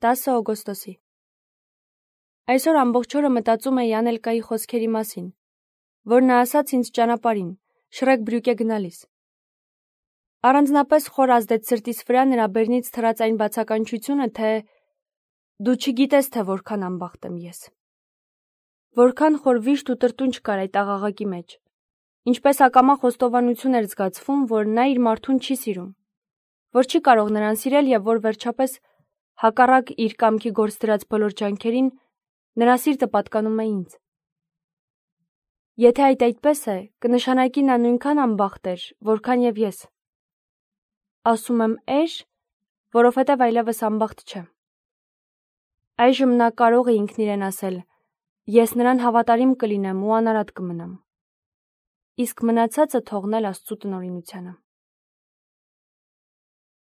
10 օգոստոսի։ Այսօր ամբողջ օրը մտածում էի Անելկայի խոսքերի մասին, որ նա ասաց ինձ ճանապարհին, Շրեկ Բրյուկե գնալիս։ Առանձնապես խոր ազդեց սրտիս վրա նրա բերնից թռած այն բացականչությունը, թե դու չգիտես, թե որքան անբախտ եմ ես։ Որքան խոր վիշտ ու տրտունջ կար այդ աղաղակի մեջ։ Ինչպես ակամա խոստովանություն էր զգացվում, որ նա իր մարդուն չի սիրում, որ չի կարող նրան սիրել եւ որ վերջապես հակառակ իր կամքի գործ դրած բոլոր ջանքերին նրա սիրտը պատկանում է ինձ։ Եթե այդպես է, կնշանակի նա նույնքան անբախտ էր, որքան եւ ես։ Ասում եմ էր, որովհետեւ այլևս անբախտ չեմ։ Այժմ նա կարող է ինքն իրեն ասել. ես նրան հավատարիմ կլինեմ ու անարատ կմնամ։ Իսկ մնացածը թողնել Աստծո տնօրինությանը։